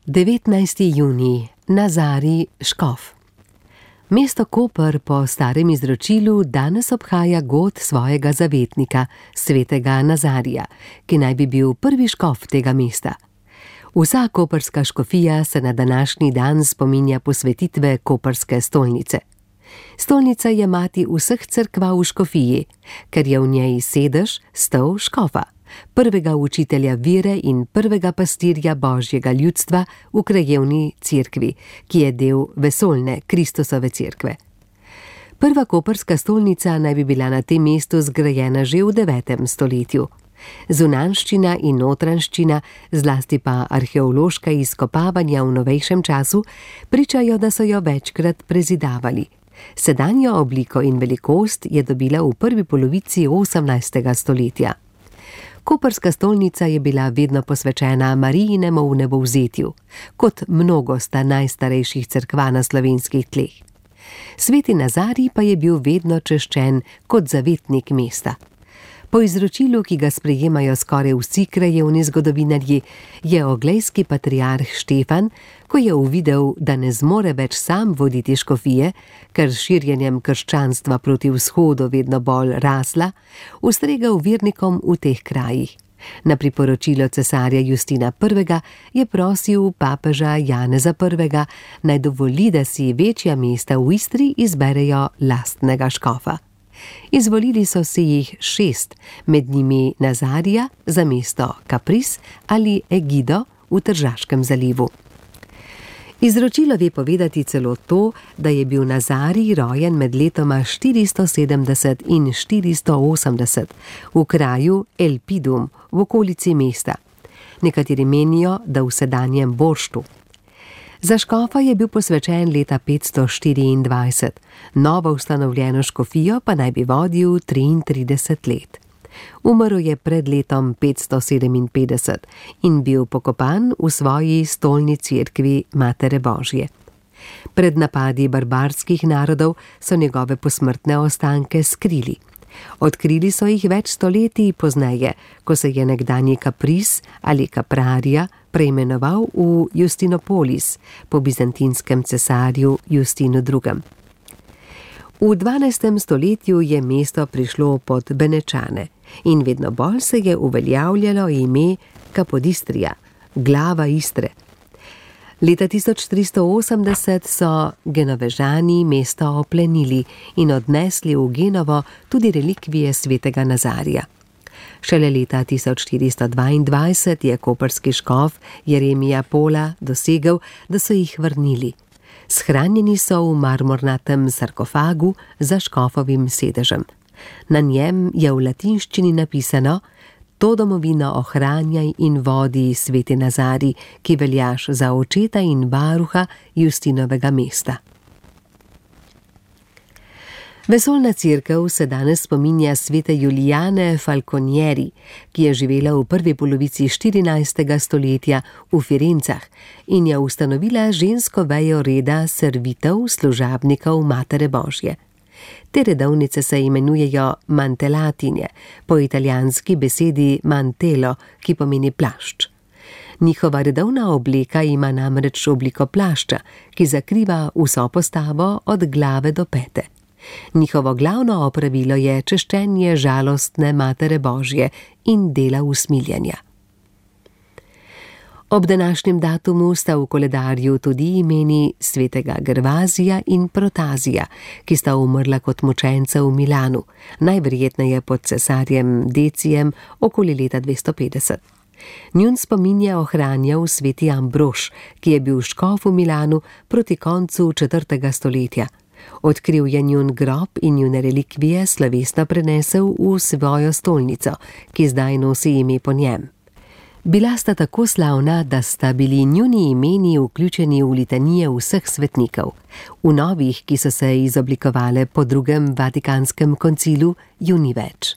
19. junij, Nazarij, škof. Mesto Koper po starem izročilu danes obhaja god svojega zavetnika, svetega Nazarija, ki naj bi bil prvi škof tega mesta. Vsa koprska škofija se na današnji dan spominja posvetitve koprske stolnice. Stolnica je mati vseh cerkva v škofiji, ker je v njej sedež, stol škofa, prvega učitelja vere in prvega pastirja božjega ljudstva v krajevni cerkvi, ki je del vesoljne Kristusove cerkve. Prva koprska stolnica naj bi bila na tem mestu zgrajena že v 9. stoletju. Zunanjščina in notranjščina, zlasti pa arheološka izkopavanja v novejšem času, pričajo, da so jo večkrat prezidavali. Sedanjo obliko in velikost je dobila v prvi polovici 18. stoletja. Koprska stolnica je bila vedno posvečena Marijinemu vnebovzetju, kot mnogo sta najstarejših cerkva na slovenskih tleh. Sveti Nazarij pa je bil vedno češčen kot zavetnik mesta. Po izročilu, ki ga sprejemajo skoraj vsi krajevni zgodovinarji, je oglejski patriarh Štefan, ko je uvidel, da ne zmore več sam voditi škofije, ker s širjenjem krščanstva proti vzhodu vedno bolj rasla, ustregel vernikom v teh krajih. Na priporočilo cesarja Justina I. je prosil papeža Janeza I. naj dovoli, da si večja mesta v Istri izberejo lastnega škofa. Izvolili so si jih 6, med njimi Nazarija za mesto Kapris ali Egido v Tržaškem zalivu. Izročilo ve povedati celo to, da je bil Nazarij rojen med letoma 470 in 480 v kraju Elpidum v okolici mesta. Nekateri menijo, da v sedanjem Borštu. Za škofa je bil posvečen leta 524, novo ustanovljeno škofijo pa naj bi vodil 33 let. Umrl je pred letom 557 in bil pokopan v svoji stolni cerkvi Matere Božje. Pred napadi barbarskih narodov so njegove posmrtne ostanke skrili. Odkrili so jih več stoletij pozneje, ko se je nekdanji Kapris ali Kaprarija preimenoval v Justinopolis po bizantinskem cesarju Justinu II. V 12. stoletju je mesto prišlo pod Benečane in vedno bolj se je uveljavljalo ime Kapodistrija, glava Istre. Leta 1380 so Genovežani mesto oplenili in odnesli v Genovo tudi relikvije svetega Nazarija. Šele leta 1422 je koprski škof Jeremija Pola dosegel, da so jih vrnili. Shranjeni so v marmornatem sarkofagu za škofovim sedežem. Na njem je v latinščini napisano: To domovino ohranjaj in vodi, sveti Nazarij, ki veljaš za očeta in varuha Justinovega mesta. Vesoljna cerkev se danes spominja svete Julijane Falconieri, ki je živela v prvi polovici 14. stoletja v Firencah in je ustanovila žensko vejo reda servitev služabnikov Matere Božje. Te redovnice se imenujejo mantelatinje, po italijanski besedi mantelo, ki pomeni plašč. Njihova redovna obleka ima namreč obliko plašča, ki zakriva vso postavo od glave do pete. Njihovo glavno opravilo je češčenje žalostne Matere Božje in dela usmiljanja. Ob današnjem datumu sta v koledarju tudi imeni svetega Gervazija in Protazija, ki sta umrla kot mučenca v Milanu, najverjetneje pod cesarjem Decijem okoli leta 250. Njun spomin je ohranjal sveti Ambrož, ki je bil škof v Milanu proti koncu 4. stoletja. Odkril je njun grob in njune relikvije slovesno prenesel v svojo stolnico, ki zdaj nosi ime po njem. Bila sta tako slavna, da sta bili njuni imeni vključeni v litanije vseh svetnikov. V novih, ki so se izoblikovale po drugem Vatikanskem koncilu, ju ni več.